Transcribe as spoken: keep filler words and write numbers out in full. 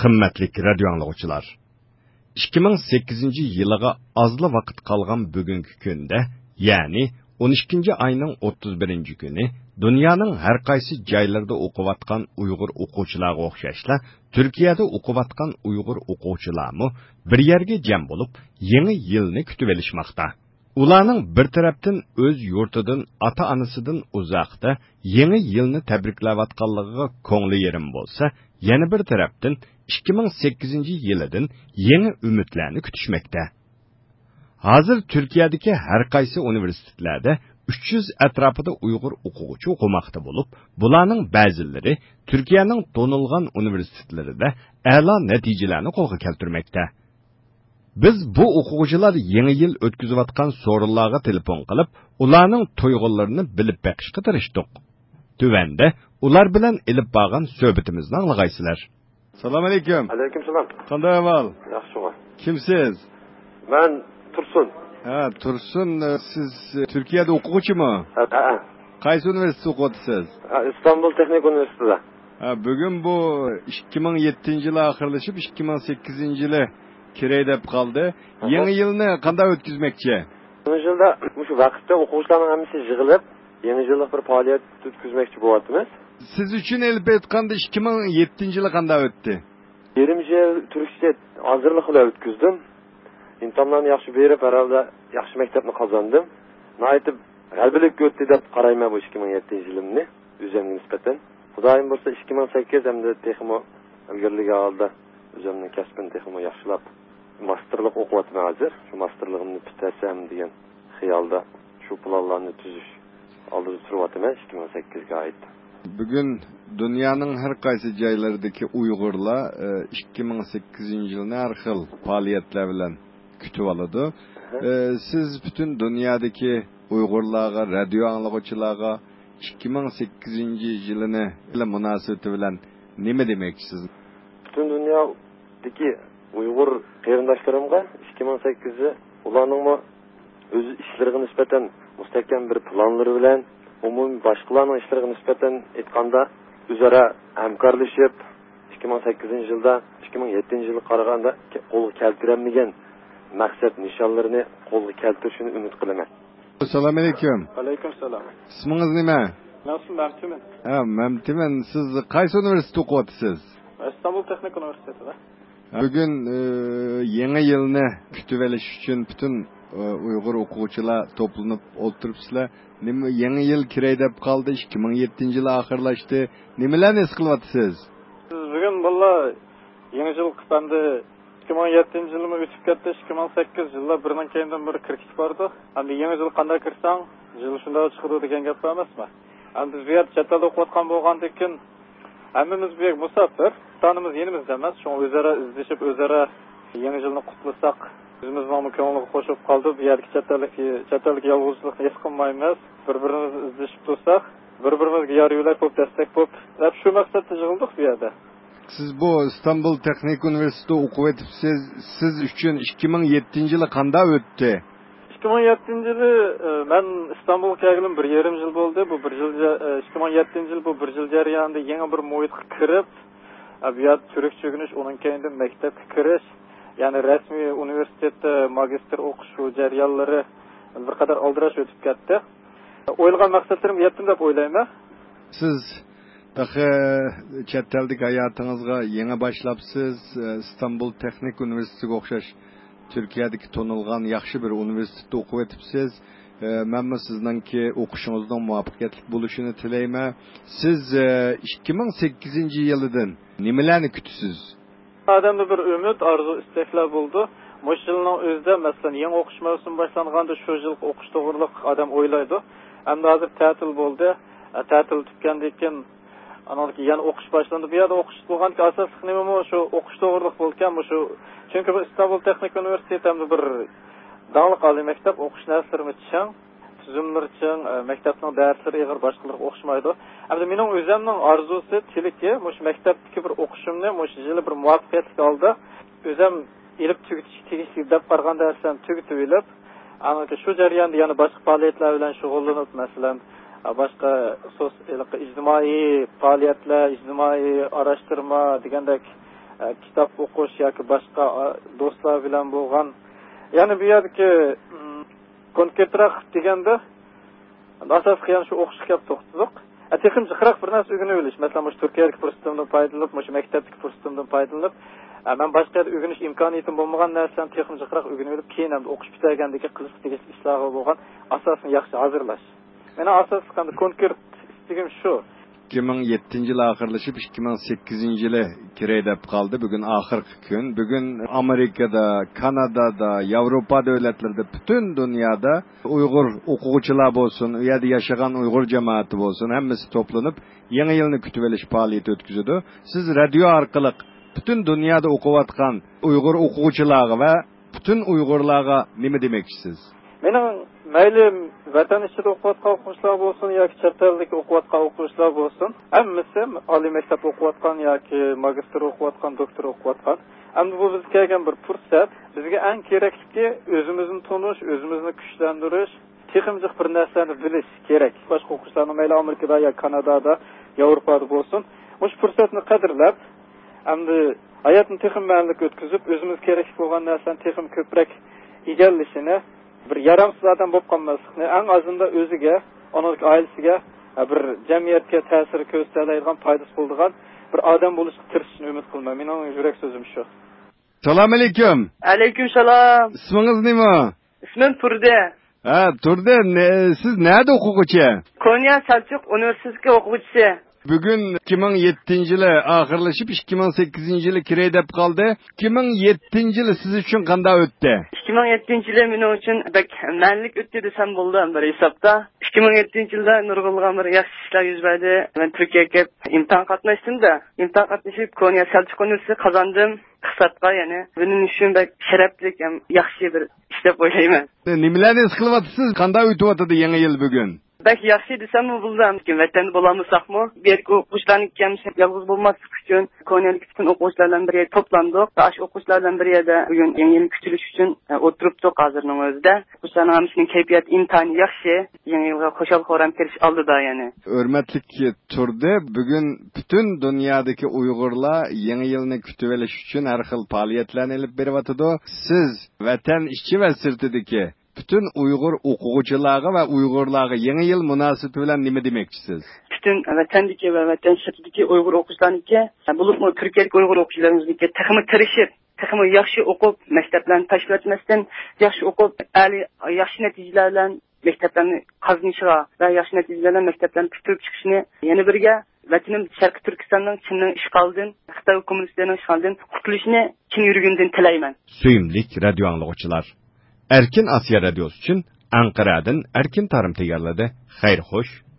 قىممەتلىك رادىيو ئاڭلىغۇچىلار! ئىككى مىڭ سەككىزىنچى يىلىغا ئازلا ۋاقىت قالغان بۈگۈنكى كۈندە، يەنى ئون ئىككىنچى ئاينىڭ ئوتتۇز بىرىنچى كۈنى دۇنيانىڭ ھەر قايسى جايلىرىدا ئوقۇۋاتقان ئۇيغۇر ئوقۇغۇچىلارغا ئوخشاشلا، تۈركىيەدە ئوقۇۋاتقان ئۇيغۇر ئوقۇغۇچىلارمۇ بىر يەرگە جەم بولۇپ، يېڭى يىلنى كۈتۈۋېلىشماقتا. ئۇلارنىڭ بىر تەرەپتىن ئۆز يۇرتىدىن، ئاتا-ئانىسىدىن ئۇزاقتا يېڭى يىلنى تەبرىكلەۋاتقانلىقىغا كۆڭلى يېرىم بولسا، يەنە بىر تەرەپتىن ئىككى مىڭ سەككىزىنچى يىلىدىن يېڭى ئۈمىدلەرنى كۈتۈشمەكتە. ھازىر تۈركىيەدىكى ھەر قايسى ئۇنىۋېرسىتېتلەردە ئۈچ يۈز ئەتراپىدا ئۇيغۇر ئوقۇغۇچى ئوقۇماقتا بولۇپ، بۇلارنىڭ بەزىلىرى تۈركىيەنىڭ تونۇلغان ئۇنىۋېرسىتېتلىرىدە ئەلا نەتىجىلەرنى قولغا كەلتۈرمەكتە. بىز بۇ ئوقۇغۇچىلار يېڭى يىل ئۆتكۈزۈۋاتقان سورۇنلارغا تېلېفون قىلىپ، ئۇلارنىڭ تۇيغۇلىرىنى بىلىپ بېقىشقا تىرىشتۇق. تۆۋەندە ئۇلار بىلەن ئېلىپ بارغان سۆھبىتىمىزنى ئاڭلىغايسىلەر. سالام ئەلەيكۇم. ئەلەيكۇم سالام. قانداق ئەھۋال؟ ياخشىغۇ. كىمسىز؟ مەن تۇرسۇن. ھە، تۇرسۇن، سىز تۈركىيەدە ئوقۇغۇچىمۇ؟ ھە، ھە. قايسى ئۇنىۋېرسىتېتتا ئوقۇۋاتىسىز؟ ھە، ئىستانبۇل تېخنىك ئۇنىۋېرسىتېتىدا. ھە، بۈگۈن بۇ ئىككى مىڭ يەتتىنچى يىل ئاخىرلىشىپ، ئىككى مىڭ سەككىزىنچى يىلى كىرەي دەپ قالدى. ئاھا. يېڭى يىلنى قانداق ئۆتكۈزمەكچى؟ يېڭى يىلدا مۇشۇ ۋاقىتتا ئوقۇغۇچىلارنىڭ ھەممىسى يىغىلىپ، يېڭى يىللىق بىر پائالىيەت ئۆتكۈزمەكچى بولۇۋاتىمىز. سىز ئۈچۈن ئېلىپ ئېيتقاندا، ئىككى مىڭ يەتتىنچى يىلى قانداق ئۆتتى؟ يېرىم يىل تۈركچە ھازىرلىق بىلەن ئۆتكۈزدۈم. ئىمتىھانلارنى ياخشى بېرىپ، ھەر ھالدا ياخشى مەكتەپنى قازاندىم. ناھايىتى غەلىبىلىك ئۆتتى دەپ قارايمەن بۇ ئىككى مىڭ يەتتىنچى يىلىمنى ئۆزۈمگە نىسبەتەن. خۇدايىم بۇيرۇسا، ئىككى مىڭ سەككىز ئەمدى تېخىمۇ ئىلگىرىلىگەن ھالدا ئۆزۈمنىڭ كەسپىنى تېخىمۇ ياخشىلاپ، ماستېرلىق ئوقۇۋاتىمەن ھازىر. شۇ ماستېرلىقىمنى پۈتتۈرسەم دېگەن خىيالدا شۇ پىلانلارنى تۈزۈش ئالدىدا تۇرۇۋاتىمەن ئىككى مىڭ سەككىزگە ئائىت. بۈگۈن دۇنيانىڭ ھەر قايسى جايلىرىدىكى ئۇيغۇرلار، ئى، ئىككى مىڭ سەككىزىنچى يىلنى ھەر خىل پائالىيەتلەر بىلەن كۈتۈۋالىدۇ. ئى، سىز پۈتۈن دۇنيادىكى ئۇيغۇرلارغا، رادىيو ئاڭلىغۇچىلارغا ئىككى مىڭ سەككىزىنچى يىلىنى مۇناسىۋىتى بىلەن نېمە دېمەكچىسىز؟ پۈتۈن دۇنيادىكى ئۇيغۇر قېرىنداشلىرىمغا ئىككى مىڭ سەككىز يىلى ئۇلارنىڭمۇ ئۆز ئىشلىرىغا نىسبەتەن مۇستەھكەم بىر پىلانلىرى بىلەن، ئومۇمىي باشقىلارنىڭ ئىشلىرىغا نىسبەتەن ئېيتقاندا، ئۆزئارا ھەمكارلىشىپ، ئىككى مىڭ سەككىزىنچى يىلدا ئىككى مىڭ يەتتىنچى يىلغا قارىغاندا قولغا كەلتۈرەلمىگەن مەقسەت نىشانلىرىنى قولغا كەلتۈرۈشىنى ئۈمىد قىلىمەن. ئەسسالامۇ ئەلەيكۇم. ۋەئەلەيكۇم سالام. ئىسمىڭىز نېمە؟ مەن ئىسمىم مەمتىمىن. ھە، مەمتىمىن، سىز قايسى ئۇنىۋېرسىتېتتا ئوقۇۋاتىسىز؟ ئىستانبۇل تېخنىك ئۇنىۋېرسىتېتىدا. بۈگۈن، ئى، يېڭى يىلنى كۈتۈۋېلىش ئۈچۈن پۈتۈن، ئى، ئۇيغۇر ئوقۇغۇچىلار توپلىنىپ ئولتۇرۇپسىلەر. نېمە، يېڭى يىل كىرەي دەپ قالدى، ئىككى مىڭ يەتتىنچى يىل ئاخىرلاشتى. نېمىلەرنى ھېس قىلىۋاتىسىز؟ بۈگۈن بالىلار يېڭى يىل قىلىپ ئەمدى ئىككى مىڭ يەتتىنچى يىلمۇ ئۆتۈپ كەتتى، ئىككى مىڭ سەككىز يىللار بىرىنىڭ كەينىدىن بىر كىرىپ كېتىپ بارىدۇ. ئەمدى يېڭى يىل قانداق كىرسەڭ، يىل شۇنداق چىقىدۇ دېگەن گەپ بار ئەمەسمۇ؟ ئەمدى بىز بۇ يەردە چەت ئەلدە ئوقۇۋاتقان بولغاندىكىن، ھەممىمىز بۇ يەرگە مۇساپىر، ۋەتىنىمىز يېنىمىزدا ئەمەس، شۇڭا ئۆزئارا ئىزدىشىپ، ئۆزئارا يېڭى يىلنى قۇتلىساق، ئۆزىمىزنىڭمۇ كۆڭلىگە خوش بولۇپ قالىدۇ. بۇ يەردىكى چەت ئەللىك، چەت ئەلدىكى يالغۇزچىلىقنى ھېس قىلمايمىز. بىر-بىرىمىزنى ئىزدىشىپ تۇرساق، بىر-بىرىمىزگە يار يۆلەك بولۇپ، دەستەك بولۇپ، دەپ شۇ مەقسەتتە يىغىلدۇق بۇ يەردە. سىز بۇ ئىستانبۇل تېخنىك ئۇنىۋېرسىتېتىدا ئوقۇۋېتىپسىز، سىز ئۈچۈن ئىككى مىڭ يەتتىنچى يىلى قانداق ئۆتتى؟ ئىككى مىڭ يەتتىنچى يىلى، ئە، مەن ئىستانبۇلغا كەلگىلى بىر يېرىم يىل بولدى. بۇ بىر يىل، ئە، ئىككى مىڭ يەتتىنچى يىل بۇ بىر يىل جەريانىدا يېڭى بىر مۇھىتقا كىرىپ، ئە، بۇ يەردە تۈركچە ئۆگىنىش، ئۇنىڭ كەينىدىن مەكتەپكە كىرىش، يەنى رەسمىي ئۇنىۋېرسىتېتتا ماگىستىر ئوقۇش، شۇ جەريانلىرى بىر قەدەر ئالدىراش ئۆتۈپ كەتتى. ئويلىغان مەقسەتلىرىمگە يەتتىم دەپ ئويلايمەن. سىز تېخى چەت ئەلدىكى ھاياتىڭىزغا يېڭى باشلاپسىز. ئىستانبۇل تېخنىك ئۇنىۋېرسىتېتىگە ئوخشاش تۈركىيەدىكى تونۇلغان ياخشى بىر ئۇنىۋېرسىتېتتا ئوقۇۋېتىپسىز. مەنمۇ سىزنىڭكى ئوقۇشىڭىزنىڭ مۇۋەپپەقىيەتلىك بولۇشىنى تىلەيمەن. سىز ئىككى مىڭ سەككىزىنچى يىلىدىن نېمىلەرنى كۈتىسىز؟ ئادەمدە بىر ئۈمىد، ئارزۇ، ئىستەكلەر بولىدۇ. مۇشۇ يىلنىڭ ئۆزىدە، مەسىلەن، يېڭى ئوقۇش مەۋسۇمى باشلانغاندا شۇ يىلقى ئوقۇش توغرىلىق ئادەم ئويلايدۇ. ئەمدى ھازىر تەتىل بولدى. ئە، تەتىل پۈتكەندىن كېيىن، ئانىڭدىن كېيىن يەنە ئوقۇش باشلاندى. بۇ يەردە ئوقۇش بولغاندىكىن ئاساسلىق نېمىمۇ شۇ ئوقۇش توغرىلىق بولىدىكەن. مۇشۇ، چۈنكى بۇ ئىستانبۇل تېخنىك ئۇنىۋېرسىتېتى ئەمدى بىر داڭلىق ئالىي مەكتەپ، ئوقۇش نەرسىلىرىمۇ چىڭ. تۈزۈملىرى چىڭ، ئە، مەكتەپنىڭ دەرسلىرى ئېغىر، باشقىلىرىغا ئوخشىمايدۇ. ئەمدى مېنىڭ ئۆزۈمنىڭ ئارزۇسى، تىلىكى، مۇشۇ مەكتەپتىكى بىر ئوقۇشۇمنى مۇشۇ يىلى بىر مۇۋەپپەقىيەتلىك ھالدا ئۆزۈم ئېلىپ تۈگىتىشكە تېگىشلىك دەپ قارىغان دەرسلەرنى تۈگىتىۋېلىپ، ئاندىن شۇ جەرياندا يەنە باشقا پائالىيەتلەر بىلەن شۇغۇللىنىپ، مەسىلەن، باشقا سوس-، ھېلىقى ئىجتىمائىي پائالىيەتلەر، ئىجتىمائىي ئاراشتۇرما دېگەندەك ئە، كىتاب ئوقۇش ياكى باشقا، ئە، دوستلار بىلەن بولغان. يەنى بۇ يەردىكى، ئىم، كونكرېتراق دېگەندە، ئاساسلىق يەنە شۇ ئوقۇشقا كەپ توختىدۇق. ئە، تېخىمۇ جىقراق بىر نەرسە ئۆگىنىۋېلىش. مەسىلەن، مۇشۇ تۈركىيەدىكى پۇرسىتىمدىن پايدىلىنىپ، مۇشۇ مەكتەپتىكى پۇرسىتىمدىن پايدىلىنىپ، ئە، مەن باشقا يەردە ئۆگىنىش ئىمكانىيىتىم بولمىغان نەرسىلەرنى تېخىمۇ جىقراق ئۆگىنىۋېلىپ، كېيىن ئەمدى ئوقۇش پۈتتۈرگەندىن كېيىن قىلىشقا تېگىشلىك ئىشلارغا بولغان ئاساسنى ياخشى ھازىرلاش. مېنىڭ ئاساسلىق ئەمدى كونكرېت ئىستىكىم شۇ. ئىككى مىڭ يەتتىنچى يىل ئاخىرلىشىپ، ئىككى مىڭ سەككىزىنچى يىلى كىرەي دەپ قالدى. بۈگۈن ئاخىرقى كۈن. بۈگۈن ئامېرىكىدا، كانادادا، ياۋروپا دۆلەتلىرىدە، پۈتۈن دۇنيادا ئۇيغۇر ئوقۇغۇچىلار بولسۇن، ئۇ يەردە ياشىغان ئۇيغۇر جامائىتى بولسۇن، ھەممىسى توپلىنىپ، يېڭى يىلنى كۈتۈۋېلىش پائالىيىتى ئۆتكۈزىدۇ. سىز رادىيو ئارقىلىق پۈتۈن دۇنيادا ئوقۇۋاتقان ئۇيغۇر ئوقۇغۇچىلارغا ۋە پۈتۈن ئۇيغۇرلارغا نېمە دېمەكچىسىز؟ مېنىڭ مەيلى ۋەتەن ئىچىدە ئوقۇۋاتقان ئوقۇغۇچىلار بولسۇن ياكى چەت ئەلدىكى ئوقۇۋاتقان ئوقۇغۇچىلار بولسۇن، ھەممىسى ئالىي مەكتەپ ئوقۇۋاتقان ياكى ماگىستىر ئوقۇۋاتقان، دوكتور ئوقۇۋاتقان. ئەمدى بۇ بىزگە كەلگەن بىر پۇرسەت. بىزگە ئەڭ كېرەكلىكى ئۆزىمىزنى تونۇش، ئۆزىمىزنى كۈچلەندۈرۈش، تېخىمۇ جىق بىر نەرسىلەرنى بىلىش كېرەك. باشقا ئوقۇغۇچىلارنىڭ مەيلى ئامېرىكىدا يا كانادادا، ياۋروپادا بولسۇن، مۇشۇ پۇرسەتنى قەدىرلەپ، ئەمدى ھاياتنى تېخىمۇ مەنىلىك ئۆتكۈزۈپ، ئۆزىمىزگە كېرەكلىك بولغان نەرسىلەرنى تېخىمۇ كۆپرەك ئىگىلىشىنى، بىر يارامسىز ئادەم بولۇپ قالماسلىقنى، ئەڭ ئازىندا ئۆزىگە، ئانىڭدىكى ئائىلىسىگە، بىر جەمئىيەتكە تەسىر كۆرسىتەلەيدىغان، پايدىسى بولىدىغان بىر ئادەم بولۇشقا تىرىشىشىنى ئۈمىد قىلىمەن. مېنىڭ يۈرەك سۆزۈم شۇ. سالام ئەلەيكۇم. ئەلەيكۇم سالام. ئىسمىڭىز نېمە؟ ئىسمىم تۇردى. ھە، تۇردى، نە-، سىز نەدە ئوقۇغۇچى؟ كونيا سەلچۇق ئۇنىۋېرسىتېتى ئوقۇغۇچىسى. بۈگۈن ئىككى مىڭ يەتتىنچى يىلى ئاخىرلىشىپ، ئىككى مىڭ سەككىزىنچى يىلى كىرەي دەپ قالدى. ئىككى مىڭ يەتتىنچى يىلى سىز ئۈچۈن قانداق ئۆتتى؟ ئىككى مىڭ يەتتىنچى يىلى مېنىڭ ئۈچۈن بەك مەنىلىك ئۆتتى دېسەم بولىدۇ بىر ھېسابتا. ئىككى مىڭ يەتتىنچى يىلدا نۇرغۇنلىغان بىر ياخشى ئىشلار يۈز بەردى. مەن تۈركىيەگە كېلىپ ئىمتىھان قاتناشتىم-دە، ئىمتىھان قاتنىشىپ كونيا سەلچۇق ئۇنىۋېرسىتېتىنى قازاندىم. ئىقتىسادقا، يەنى بىلىم ئۈچۈن بەك شەرەپلىك ھەم ياخشى بىر ئىش دەپ ئويلايمەن. نېمىلەرنى ھېس قىلىۋاتىسىز؟ قانداق ئۆتۈۋاتىدۇ يېڭى يىل بۈگۈن؟ بەك ياخشى دېسەممۇ بولىدۇ، ھەم ۋەتەندە بولالمىساقمۇ، بۇ يەردىكى ئوقۇغۇچىلارنىڭ كەمسىتىپ يالغۇز بولماسلىق ئۈچۈن، كونيادىكى پۈتۈن ئوقۇغۇچىلار بىلەن بىر يەردە توپلاندۇق. ئاشۇ ئوقۇغۇچىلار بىلەن بىر يەردە بۈگۈن يېڭى يىلنى كۈتۈۋېلىش ئۈچۈن، ئە، ئولتۇرۇپتۇق ھازىرنىڭ ئۆزىدە. ئوقۇغۇچىلارنىڭ ھەممىسىنىڭ كەيپىياتى ئىنتايىن ياخشى. يېڭى يىلغا خۇشال-خۇرام كىرىش ئالدىدا يەنى. ھۆرمەتلىك تۇردى، بۈگۈن پۈتۈن دۇنيادىكى ئۇيغۇرلار يېڭى يىلنى كۈتۈۋېلىش ئۈچۈن ھەر خىل پائالىيەتلەرنى ئېلىپ بېرىۋاتىدۇ. سىز ۋەتەن ئىچى ۋە سىرتىدىكى پۈتۈن ئۇيغۇر ئوقۇغۇچىلارغا ۋە ئۇيغۇرلارغا يېڭى يىل مۇناسىۋىتى بىلەن نېمە دېمەكچىسىز؟ پۈتۈن ۋەتەندىكى ۋە ۋەتەن سىرتىدىكى ئۇيغۇر ئوقۇغۇچىلارنىڭكى، بولۇپمۇ تۈركىيەدىكى ئۇيغۇر ئوقۇغۇچىلىرىمىزنىڭكى تېخىمۇ تىرىشىپ، تېخىمۇ ياخشى ئوقۇپ، مەكتەپلەرنى تاشلىۋەتمەستىن، ياخشى ئوقۇپ، ئالىي، ياخشى نەتىجىلەر بىلەن مەكتەپلەرنى قازىنىشىغا ۋە ياخشى نەتىجىلەر بىلەن مەكتەپلەرنى پۈتتۈرۈپ چىقىشىنى، يەنە بىرگە، ۋەتىنىم شەرقىي تۈركىستاننىڭ چىننىڭ ئىشغالىدىن، خىتاي كوممۇنىستلىرىنىڭ ئىشغالىدىن قۇتۇلۇشىنى چىن يۈرىكىمدىن تىلەيمەن. سۆيۈملۈك رادىيو ئاڭلىغۇچىلار، ئەركىن ئاسىيا رادىيوسى ئۈچۈن ئەنقەرەدىن ئەركىن تارىم تەييارلىدى. خەير خوش.